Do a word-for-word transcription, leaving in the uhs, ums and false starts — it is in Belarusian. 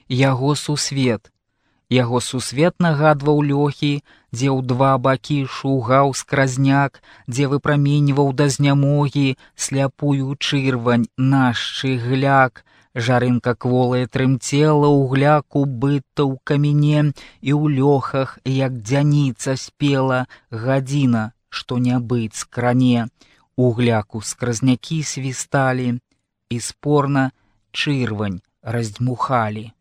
яго сусвет. Яго сусвет нагадваў лёхі, дзе ў два бакі шугаў скразняк, дзе выпраменьваў да знямогі сляпую чырвань наш шчыгляк. Жарынка кволая трымцела ў гляку быта ў каміне, і ў лёхах, як дзяніца спела, гадзіна, што не быць кране. У гляку скразнякі свісталі, і спорна чырвань раздзьмухалі.